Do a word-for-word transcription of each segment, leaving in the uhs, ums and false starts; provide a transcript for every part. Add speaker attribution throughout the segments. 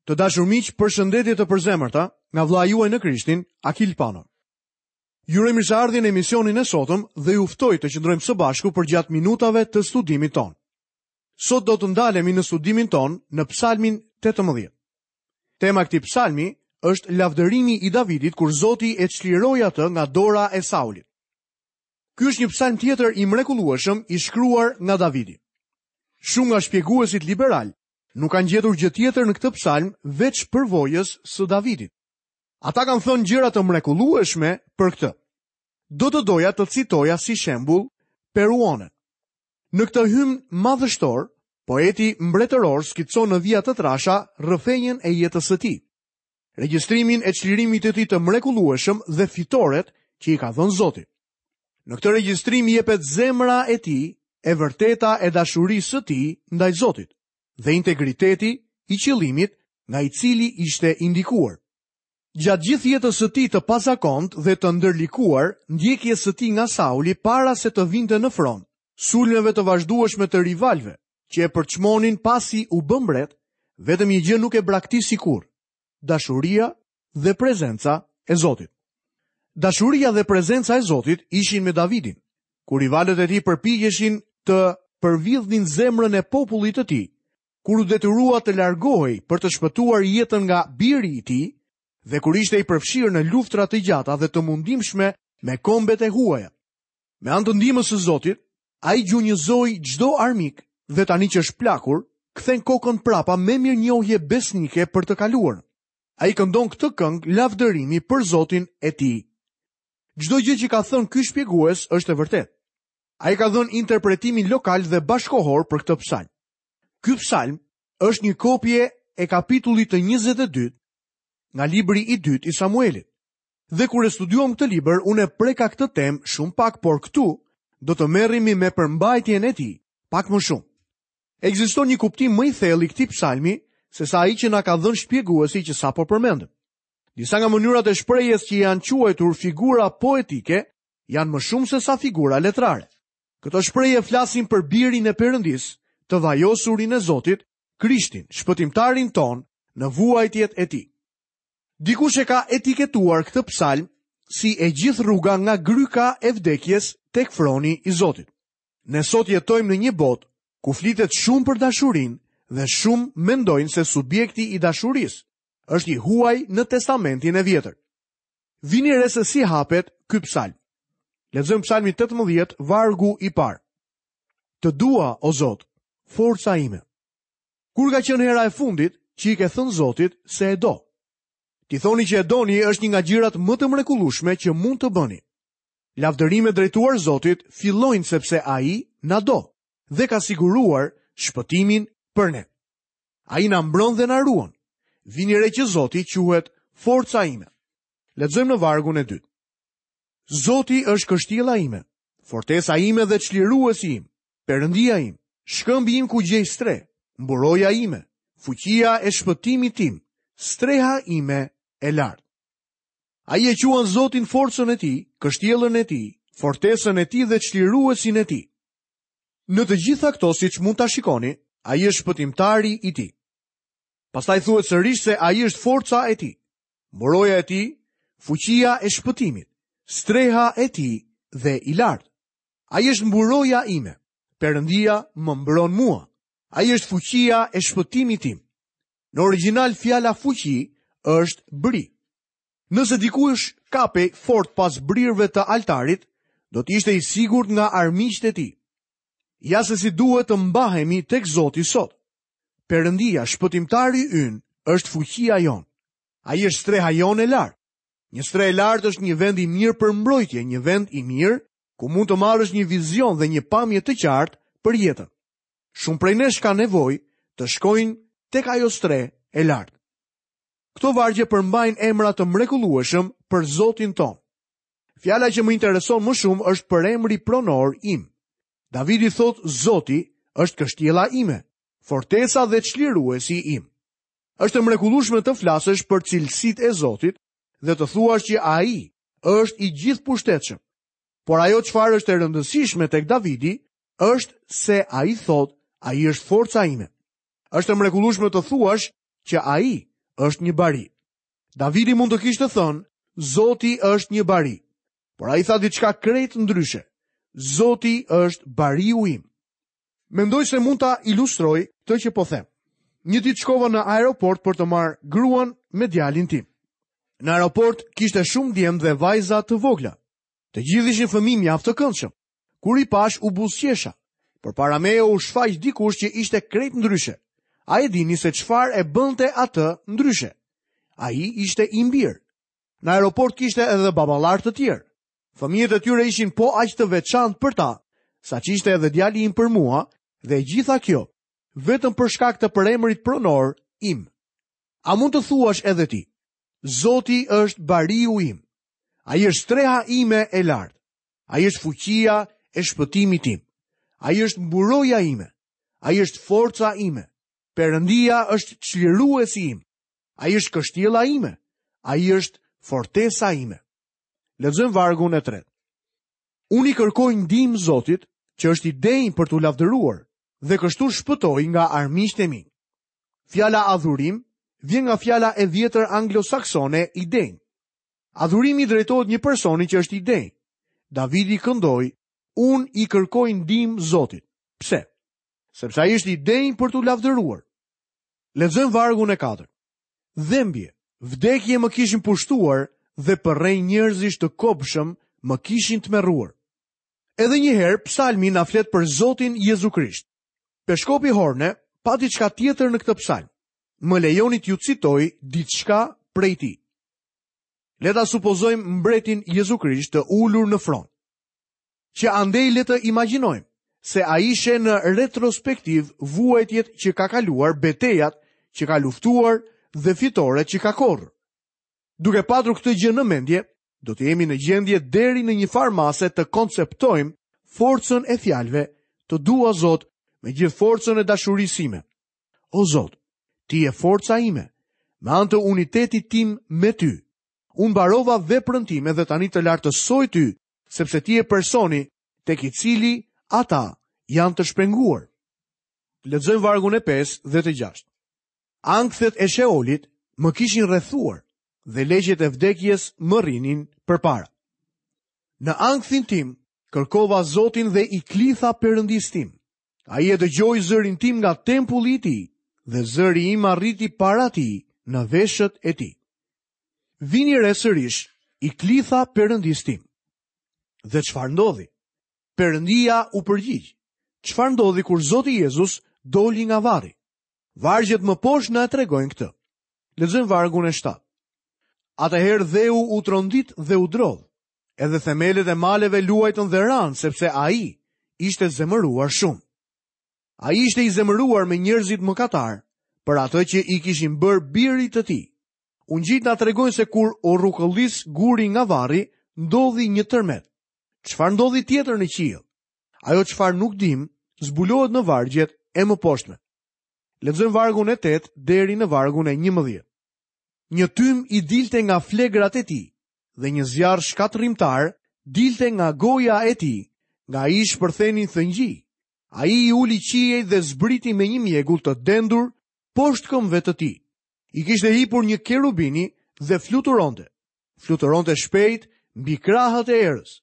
Speaker 1: Të dashur miq, përshëndetje të përzemërta nga vëllai juaj në Krishtin, Akil Pano. Ju uroj mirëseardhjen në emisionin e sotëm dhe ju ftoj të qëndrojmë së bashku përgjatë minutave të studimit tonë. Sot do të ndalemi në studimin tonë në Psalmin tetëmbëdhjetë. Tema e këtij psalmi është lavdërimi i Davidit kur Zoti e çliroi atë nga dora e Saulit. Ky është një psalm tjetër i mrekullueshëm i shkruar nga Davidi. Shumë nga shpjeguesit liberal nuk kanë gjetur gjë tjetër në këtë psalm veç përvojës së Davidit. Ata kanë thënë gjëra të mrekullueshme për këtë. Do të doja të citoja si shembull Peruonen. Në këtë hymn madhështor, poeti mbretëror skicon në vija të trasha rrëfenjën e jetës së tij, regjistrimin e çlirimit të tij të mrekullueshëm dhe fitoret që i ka dhënë Zoti. Në këtë regjistrim jepet zemra e tij, e vërteta e dashurisë së tij ndaj Zotit dhe integriteti i qëllimit nga i cili ishte indikuar. Gjatë gjithë jetës së tij të pazakont dhe të ndërlikuar, ndjekjes së tij nga Sauli para se të vinte në fron, sulmeve të vazhdueshme të rivalëve që e përçmonin pasi u bë mbret, vetëm një gjë nuk e braktisi kurrë: dashuria dhe prezenca e Zotit. Dashuria dhe prezenca e Zotit ishin me Davidin, kur rivalët e tij përpiqeshin të përvidhnin zemrën e popullit të tij, kur u detyrua të largohej për të shpëtuar jetën nga biri i tij dhe kur ishte i përfshirë në luftra të gjata dhe të mundimshme me kombet e huaja. Me anë të ndihmës së Zotit, ai gjunjëzoi çdo armik dhe tani që është plakur, kthen kokën prapa me mirënjohje besnike për të kaluarën. Ai këndon këtë këngë lavdërimi për Zotin e tij. Çdo gjë që ka thënë ky shpjegues është e vërtetë. Ai ka dhënë interpretimin lokal dhe bashkohor për këtë psalm. Ky psalm është një kopje e kapitullit të njëzet e dytë nga libri i dytë i Samuelit. Dhe kur e studiuam këtë libër, unë e preka këtë temë shumë pak, por këtu do të merremi me përmbajtjen e tij pak më shumë. Ekziston një kuptim më i thellë i këtij psalmi se sa ai që na ka dhënë shpjeguesi që sapo përmendëm. Disa nga mënyrat e shprehjes që janë quajtur figura poetike janë më shumë se sa figura letrare. Këto shprehje flasin për birin e Perëndisë, të vajosurin e Zotit, Krishtin, shpëtimtarin ton, në vuajtjet e tij. Dikush e ka etiketuar këtë psalm si e gjithë rruga nga gryka e vdekjes tek froni i Zotit. Ne sot jetojmë në një botë ku flitet shumë për dashurinë dhe shumë mendojnë se subjekti i dashurisë është i huaj në Testamentin e Vjetër. Vini re se si hapet ky psalm. Lexojmë psalmin tetëmbëdhjetë, vargu i parë. Të dua, o Zot, forca ime. Kur ka qenë hera e fundit që i ke thënë Zotit se e do? Ti thoni që e doni është një nga gjërat më të mrekullueshme që mund të bëni. Lavdërimet drejtuar Zotit fillojnë sepse Ai na do dhe ka siguruar shpëtimin për ne. Ai na mbron dhe na ruan. Vini re që Zoti quhet forca ime. Lexojmë në vargun e dytë. Zoti është kështjella ime, fortesa ime dhe çliruesi im, Perëndia im, shkëmbi im ku gjej streh, mburoja ime, fuqia e shpëtimit tim, streha ime e lartë. Ai e quan Zotin forcën e tij, kështjellën e tij, fortesën e tij dhe çliruesin e tij. Në të gjitha këto, siç mund ta shikoni, ai është shpëtimtari i tij. Pastaj thuhet sërish se ai është forca e tij, mburoja e tij, fuqia e shpëtimit, streha e tij dhe i lartë. Ai është mburoja ime. Perëndia më mbron mua. Ai është fuqia e shpëtimit tim. Në origjinal fjala fuqi është bri. Nëse dikush kapej fort pas brirëve të altarit, do të ishte i sigurt nga armiqtë e tij. Ja se si duhet të mbahemi tek Zoti sot. Perëndia, shpëtimtari ynë, është fuqia jonë. Ai është streha jonë e lartë. Një strehë e lartë është një vend i mirë për mbrojtje, një vend i mirë ku mund të marrësh një vizion dhe një pamje të qartë për jetën. Shumë prej nesh kanë nevojë të shkojnë tek ajo strehë e lartë. Këto vargje përmbajnë emra të mrekullueshëm për Zotin ton. Fjala që më intereson më shumë është për emri pronor im. Davidi thot Zoti është kështjella ime, fortesa dhe çliruesi im. Është e mrekullueshme të flasësh për cilësitë e Zotit dhe të thuash që ai është i gjithëpushtetshëm. Por ajo çfarë është e rëndësishme tek Davidi është se ai thot, ai është forca ime. Është e mrekullueshme të thuash që ai është një bari. Davidi mund të kishte thënë, Zoti është një bari. Por ai tha diçka krejt ndryshe. Zoti është bariu im. Mendoj se mund ta ilustroj këtë që po them. Një ditë shkova në aeroport për të marrë gruan me djalin tim. Në aeroport kishte shumë djem dhe vajza të vogla. Të gjithë ishin fëmijë mjaft të këndshëm. Kur i pash u buzëqesha. Përpara meje u shfaq dikush që ishte krejt ndryshe. A e dini se çfarë e bënte atë ndryshe? Ai ishte i mbirë. Në aeroport kishte edhe baballar të tjerë. Fëmijët e tyre ishin po aq të veçantë për ta, sa që ishte edhe djali im për mua, dhe e gjitha kjo, vetëm për shkak të përemrit pronor im. A mund të thuash edhe ti, Zoti është bariu im. Ai është streha ime e lartë. Ai është fuqia e shpëtimit tim. Ai është mburoja ime. Ai është forca ime. Perëndia është çliruesi im. Ai është kështjella ime. Ai është fortesa ime. Lexojmë vargun e tretë. Unë i kërkoj ndihmë Zotit, që është i denjë për t'u lavdëruar, dhe kështu shpëtoj nga armiqtë e mi. Fjala adhurim vjen nga fjala e vjetër anglosaksone i denjë. Adhurimi drejtohet një personi që është i denjë. Davidi këndoi, unë i kërkoj ndihmë Zotit. Pse? Sepse ai është i denjë për t'u lavdëruar. Lexojmë vargun e katërt. Dhembje, vdekje më kishin pushtuar dhe përrenj njerëzish të kobshëm më kishin tmerruar. Edhe një herë psalmi na flet për Zotin Jezu Krisht. Peshkopi Horne pa diçka tjetër në këtë psalm. Më lejoni t'ju citoj diçka prej tij. Le ta supozojmë mbretin Jezu Krisht të ulur në fron. Që andej le të imagjinojmë se ai sheh në retrospektiv vuajtjet që ka kaluar, betejat që ka luftuar dhe fitoret që ka korrur. Duke patur këtë gjë në mendje, do të jemi në gjendje deri në një farë mase të konceptojmë forcën e fjalëve, të dua Zot me gjithë forcën e dashurisë sime. O Zot, ti je forca ime, me anë të unitetit tim me ty. Unë mbarova veprën time dhe tani të lartësoj ty, sepse ti je personi tek i cili ata janë të shpenguar. Lexojmë vargun e pesë dhe të gjashtë. Ankthet e Sheolit më kishin rrethuar dhe legjet e vdekjes më rrinin përpara. Në ankthin tim kërkova Zotin dhe i klitha Perëndisë tim. Ai e dëgjoi zërin tim nga tempulli i tij dhe zëri im arriti para tij në veshët e tij. Vini re sërish, i klitha Perëndisë tim. Dhe çfarë ndodhi? Perëndia u përgjigj. Çfarë ndodhi kur Zoti Jezus doli nga varri? Vargjet më poshtë na e tregojnë këtë. Lexojmë vargun e shtatë. Atëherë dheu u trondit dhe u drodh. Edhe themelet e maleve luajtën dhe ranë, sepse ai ishte zemëruar shumë. Ai ishte i zemëruar me njerëzit mëkatar për atë që i kishin bërë birit të tij. Ungjijtë na tregojnë se kur u rrukëllis guri nga varri, ndodhi një tërmet. Çfarë ndodhi tjetër në qiell? Ajo çfarë nuk dim, zbulohet në vargjet e mëposhtme. Lexojmë vargun e tetë deri në vargun e njëmbëdhjetë. Një tym i dilte nga flegrat e tij dhe një zjarr shkatërrimtar dilte nga goja e tij, nga ai shpërthenin thëngjij. Ai i uli qiejt dhe zbriti me një mjegull të dendur poshtë këmbëve të tij. I kishte hipur një kerubini dhe fluturonte. Fluturonte shpejt mbi krahët e erës.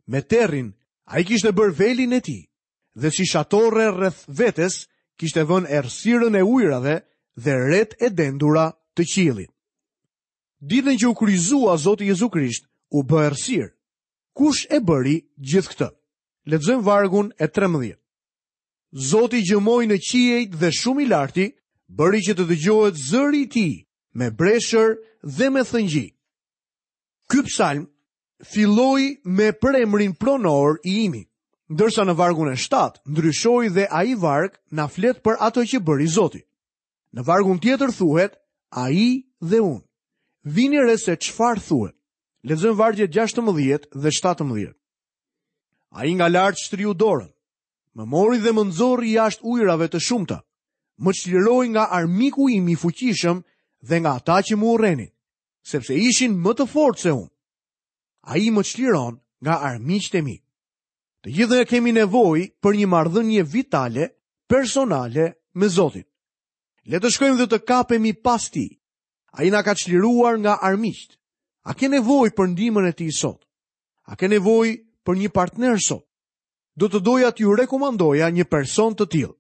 Speaker 1: Me terrin, ai kishte bërë velin e tij dhe si shatorre rreth vetes kishte vënë errësirën e ujrave dhe ret e dendura të qiellit. Ditën që u kryqëzua Zoti Jezu Krisht, u bë errësirë. Kush e bëri gjithë këtë? Lexojmë vargun e trembëdhjetë. Zoti gjëmoi në qiejt dhe shumë i larti bëri që të dëgjohet zëri i tij me breshër dhe me thëngjij. Ky psalm filloi me përemrin pronor i imi, ndërsa në vargun e shtatë ndryshoi dhe ai varg na flet për ato që bëri Zoti. Në vargun tjetër thuhet ai dhe unë. Vini re se çfarë thuhet. Lexojmë vargjet gjashtëmbëdhjetë dhe shtatëmbëdhjetë. Ai nga lart shtriu dorën, më mori dhe më nxorri jashtë ujërave të shumta, më çliroi nga armiku im i fuqishëm dhe nga ata që më urrenin, sepse ishin më të fortë se unë. Ai më çliron nga armiqtë e mi. Të gjithë ne kemi nevojë për një marrëdhënie vitale, personale me Zotin. Le të shkojmë dhe të kapemi pas tij, Ai na ka çliruar nga armiqtë. A ke nevojë për ndihmën e tij sot? A ke nevojë për një partner sot? Do të doja t'ju rekomandoja një person të tillë.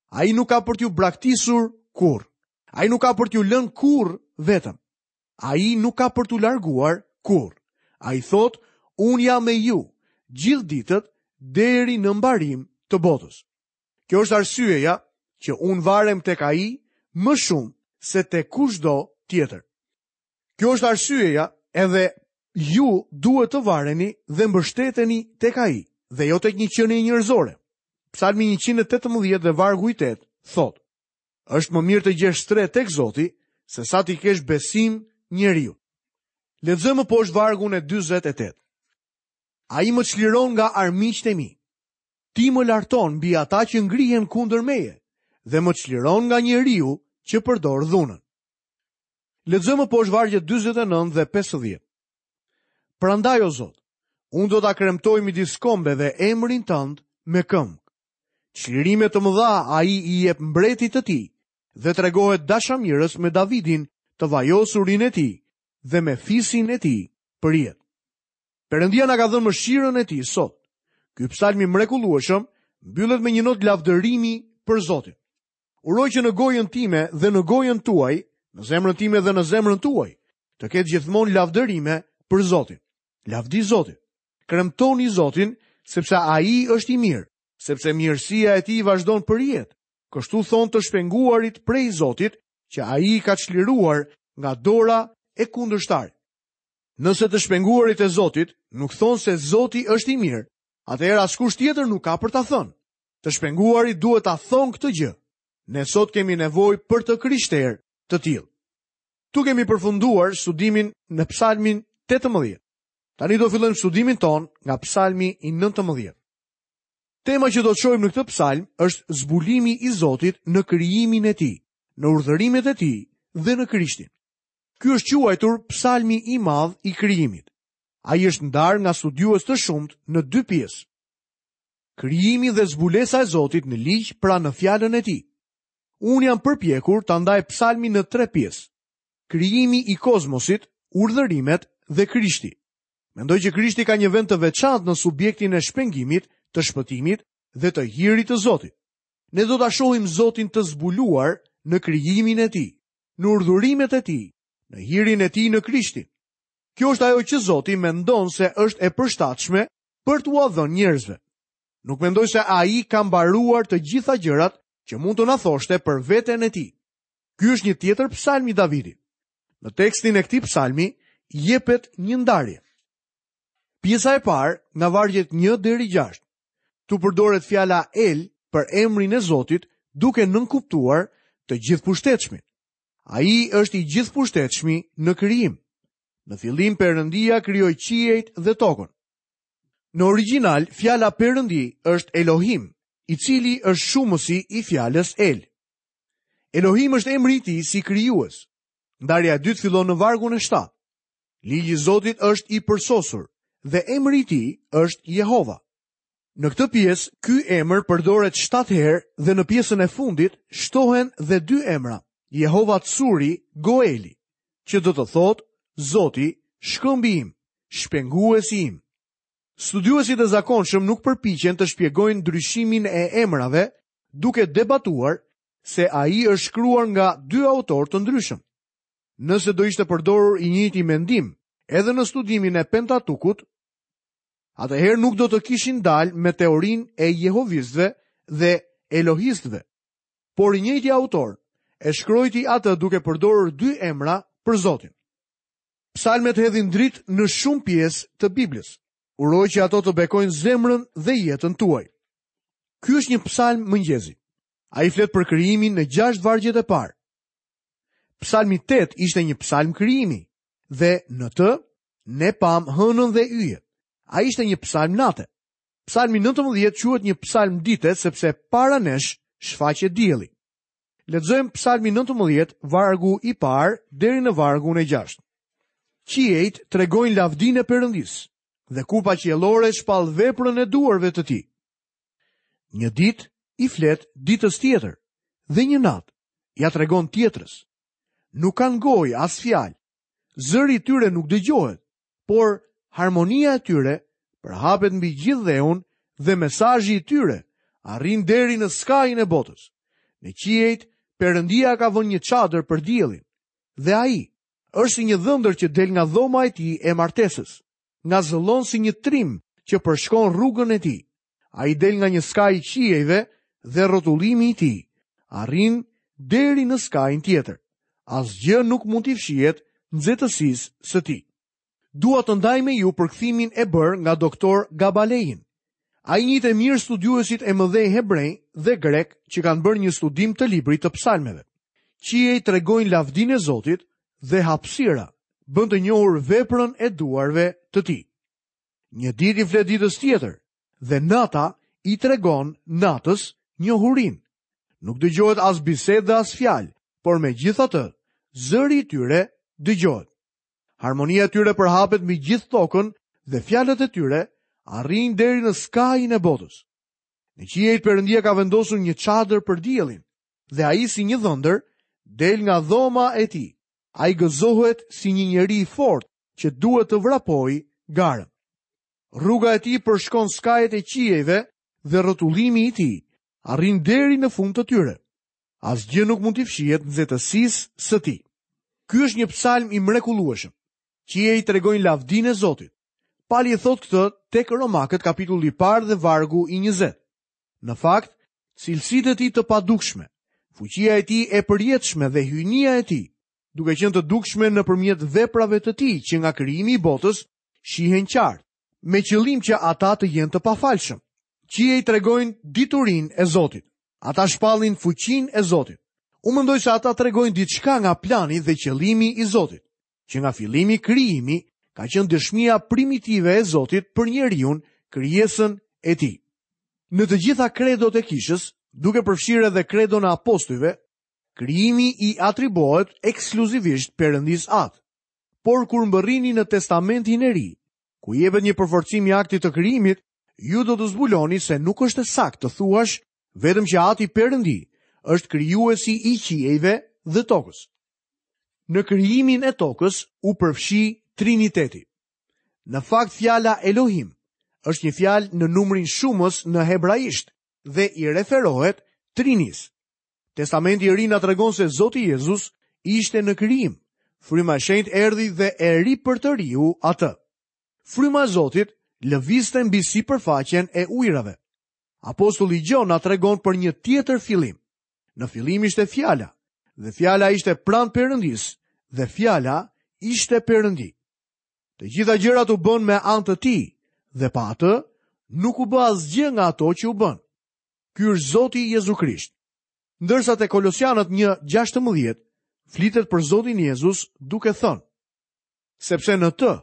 Speaker 1: Ai nuk ka për t'ju braktisur kurrë. Ai nuk ka për t'ju lënë kurrë vetëm. Ai nuk ka për t'u larguar kurrë. Ai thotë, unë jam me ju gjithë ditët deri në mbarim të botës. Kjo është arsyeja që unë varem tek ai më shumë se te kushdo tjetër. Kjo është arsyeja edhe ju duhet të vareni dhe mbështeteni tek ai dhe jo tek një qenie njerëzore. Psalmi njëqind e tetëmbëdhjetë dhe vargu i tetë thotë: Është më mirë të gjesh strehë tek Zoti se sa t'i kesh besim njeriu. Lexojmë poshtë vargun e dyzet e tetë. Ai më çliron nga armiqtë e mi. Ti më larton mbi ata që ngrihen kundër meje dhe më çliron nga njeriu që përdor dhunën. Lexojmë poshtë vargjet dyzet e nëntë dhe pesëdhjetë. Prandaj o Zot, unë do ta kremtoj midis kombeve emrin tënd me këngë. Çlirime të mëdha ai i jep mbretit të tij dhe tregohet dashamirës me Davidin, të vajosurin e tij dhe me fisin e tij për jetë. Perëndia na ka dhënë mëshirën e tij sot. Ky psalm i mrekullueshëm mbyllet me një notë lavdërimi për Zotin. Uroj që në gojën time dhe në gojën tuaj, në zemrën time dhe në zemrën tuaj, të ketë gjithmonë lavdërime për Zotin. Lavdi Zotit. Kremtoni Zotin, sepse ai është i mirë, sepse mirësia e tij vazhdon për jetë. Kështu thon të shpenguarit prej Zotit, që ai i ka çliruar nga dora e kundërshtarit. Nëse të shpenguarit e Zotit nuk thonë se Zoti është i mirë, atëherë askush tjetër nuk ka për ta thënë. Të shpenguarit duhet ta thonë këtë gjë. Ne sot kemi nevojë për të krishterë të tillë. Tu kemi përfunduar studimin në Psalmin tetëmbëdhjetë. Tani do fillojmë studimin ton nga Psalmi i nëntëmbëdhjetë. Tema që do të shohim në këtë psalm është zbulimi i Zotit në krijimin e tij, në urdhërimet e tij dhe në Krishtin. Ky është quajtur psalmi i madh i krijimit. Ai është ndarë nga studiues të shumtë në dy pjesë. Krijimi dhe zbulesa e Zotit në ligj, pra në fjalën e tij. Unë jam përpjekur ta ndaj psalmin në tre pjesë. Krijimi i kozmosit, urdhërimet dhe Krishti. Mendoj që Krishti ka një vend të veçantë në subjektin e shpengimit, të shpëtimit dhe të hirit të Zotit. Ne do ta shohim Zotin të zbuluar në krijimin e tij, në urdhërimet e tij, në hirin e tij në Krishtin. Kjo është ajo që Zoti mendon se është e përshtatshme për t'ua dhënë njerëzve. Nuk mendoj se ai ka mbaruar të gjitha gjërat që mund të na thoshte për veten e tij. Ky është një tjetër psalm i Davidit. Në tekstin e këtij psalmi jepet një ndarje. Pjesa e parë nga vargjet një deri gjashtë. Tu përdoret fjala El për emrin e Zotit, duke nënkuptuar të gjithëpushtetshmin. Ai është i gjithëpushtetshmi në krijim. Në fillim Perëndia krijoi qiejt dhe tokën. Në origjinal, fjala Perëndi është Elohim, i cili është shumësi i fjalës El. Elohim është emri i tij si krijues. Ndarja e dytë fillon në vargun e shtatë. Ligji i Zotit është i përsosur dhe emri i tij është Jehova. Në këtë pjesë, ky emër përdoret shtatë herë dhe në pjesën e fundit shtohen dhe dy emra, Jehova Tsuri Goeli, që do të thotë Zoti, shkëmbi im, shpenguesi im. Studiuesit e zakonshëm nuk përpiqen të shpjegojnë ndryshimin e emrave, duke debatuar se ai është shkruar nga dy autorë të ndryshëm. Nëse do ishte përdorur i njëjti mendim edhe në studimin e Pentatukut, atëherë nuk do të kishin dalë me teorinë e jehovistëve dhe elohistëve. Por i njëjti autor e shkruajti atë duke përdorur dy emra për Zotin. Psalmet hedhin dritë në shumë pjesë të Biblës. Uroj që ato të bekojnë zemrën dhe jetën tuaj. Ky është një psalm mëngjezi. Ai flet për krijimin në gjashtë vargjet e parë. Psalmi tetë ishte një psalm krijimi dhe në të ne pam hënën dhe yjet. Ai ishte një psalm nate. Psalmi nëntëmbëdhjetë quhet një psalm dite sepse para nesh shfaqet dielli. Lexojmë psalmin nëntëmbëdhjetë, vargu i parë deri në vargun e gjashtë. Qiejt tregojnë lavdinë e Perëndisë dhe kupa qiellore shpall veprën e duarve të tij. Një ditë i flet ditës tjetër dhe një natë ja tregon tjetrës. Nuk kanë gojë as fjalë. Zëri i tyre nuk dëgjohet, por harmonia e tyre përhapet mbi gjithë dheun dhe mesazhi i tyre arrin deri në skajin e botës. Në qiejt, Perëndia ka vënë një çadër për diellin, dhe ai është si një dhëndër që del nga dhoma e tij e martesës, ngazëllon si një trim që përshkon rrugën e tij. Ai del nga një skaj i qiejve dhe rrotullimi i tij arrin deri në skajin tjetër. Asgjë nuk mund t'i fshihet nxehtësisë së tij. Dua të ndaj me ju përkthimin e bërë nga doktor Gabalein. Ai njihte mirë studiuesit e mëdhenj hebrej dhe grek që kanë bërë një studim të librit të psalmeve. Qiej tregojnë lavdinë e Zotit dhe hapësira bën të njohur veprën e duarve të tij. Një ditë i flet ditës tjetër dhe nata i tregon natës njohurinë. Nuk dëgjohet as bisedë dhe as fjalë, por megjithatë, zëri i tyre dëgjohet. Harmonia e tyre përhapet mbi gjithë tokën dhe fjalët e tyre arrijnë deri në skajin e botës. Në qiejt Perëndia ka vendosur një çadër për diellin dhe ai si një dhëndër del nga dhoma e tij. Ai gëzohet si një njeri i fortë që duhet të vrapojë garën. Rruga e tij përshkon skajet e qiejve dhe rrotullimi i tij arrin deri në fund të tyre. Asgjë nuk mund t'i fshihet nxehtësisë së tij. Ky është një psalm i mrekullueshëm. Qiejt tregojnë lavdinë e Zotit. Pali e thot këtë tek Romakët kapitulli i parë dhe vargu i njëzet. Në fakt, cilësitë e tij të padukshme, fuqia e tij e përjetshme dhe hyjnia e tij, duke qenë të dukshme nëpërmjet veprave të tij që nga krijimi i botës, shihen qartë, me qëllim që ata të jenë të pafalshëm. Qiejt tregojnë diturinë e Zotit. Ata shpallin fuqinë e Zotit. Unë mendoj se ata tregojnë diçka nga plani dhe qëllimi i Zotit. Që nga fillimi krijimi ka qenë dëshmia primitive e Zotit për njeriun, krijesën e tij. Në të gjitha kredot e kishës, duke përfshirë edhe kredon e apostujve, krijimi i atribuohet ekskluzivisht Perëndisë Atë. Por kur mbërrini në Testamentin e Ri, ku jepet një përforcim i aktit të krijimit, ju do të zbuloni se nuk është e saktë të thuash vetëm që Ati Perëndi është krijuesi i qiejve dhe tokës. Në krijimin e tokës u përfshi Triniteti. Në fakt fjala Elohim është një fjalë në numrin shumës në hebraisht dhe i referohet Trinisë. Testamenti i Ri na tregon se Zoti Jezus ishte në krijim. Fryma e Shenjtë erdhi dhe e ripërtëriu atë. Fryma e Zotit lëvizte mbi sipërfaqen e ujrave. Apostulli Gjon na tregon për një tjetër fillim. Në fillim ishte fjala, dhe fjala ishte pranë Perëndisë, dhe fjala ishte Perëndi. Të gjitha gjërat u bën me anë të tij, dhe pa atë nuk u bë asgjë nga ato që u bën. Ky është Zoti Jezu Krisht. Ndërsa te Kolosianët një gjashtëmbëdhjetë flitet për Zotin Jezus duke thënë: Sepse në të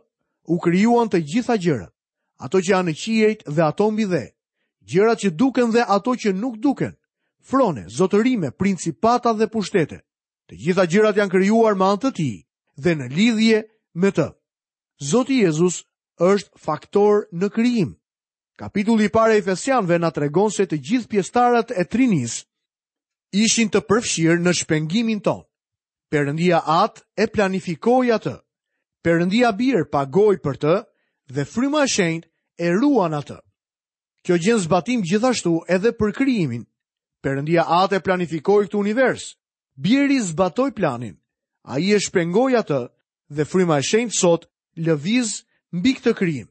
Speaker 1: u krijuan të gjitha gjërat, ato që janë në qiejt dhe ato mbi dhe, gjërat që duken dhe ato që nuk duken, frone, zotërime, principata dhe pushtete. Të gjitha gjërat janë krijuar me anë të tij dhe në lidhje me të. Zoti Jezus është faktor në krijim. Kapitulli i parë i Efesianëve na tregon se të gjithë pjesëtarët e Trinisë ishin të përfshirë në shpengimin tonë. Perëndia Atë e planifikoi atë. Perëndia Bir pagoi për të dhe Fryma e Shenjtë e ruan atë. Kjo gjen zbatim gjithashtu edhe për krijimin. Perëndia Atë e planifikoi këtë univers. Biri zbatoi planin. Ai e shpengoi atë dhe Fryma e Shenjtë sot lëviz mbi këtë krijim.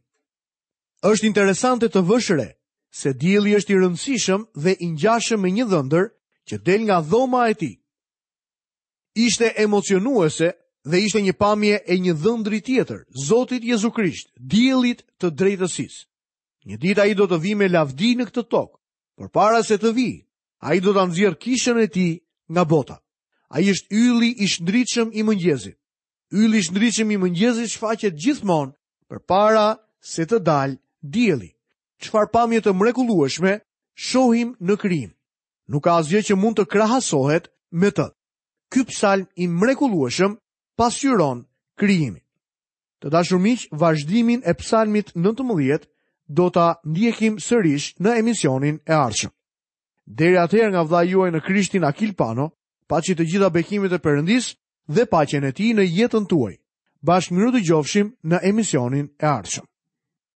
Speaker 1: Është interesante të vësh re se dielli është i rëndësishëm dhe i ngjashëm me një dhëndër që del nga dhoma e tij. Ishte emocionuese dhe ishte një pamje e një dhëndri tjetër, Zotit Jezu Krisht, diellit të drejtësisë. Një ditë ai do të vijë me lavdi në këtë tokë, por para se të vijë, ai do ta nxjerrë kishën e tij nga bota. Ai është ylli i shndritshëm i mëngjesit. Ylli i shndritshëm i mëngjesit shfaqet gjithmonë përpara se të dalë dielli. Çfarë pamje të mrekullueshme shohim në krijim. Nuk ka asgjë që mund të krahasohet me të. Ky psalm i mrekullueshëm pasqyron krijimin. Të dashur miq, vazhdimin e psalmit nëntëmbëdhjetë do ta ndjekim sërish në emisionin e ardhshëm. Deri atëherë nga vëllai juaj në Krishtin Akil Pano, paçi të gjitha bekimet e Perëndisë dhe paqen e tij në jetën tuaj. Bashkë mirudëgjofshim në emisionin e ardhshëm.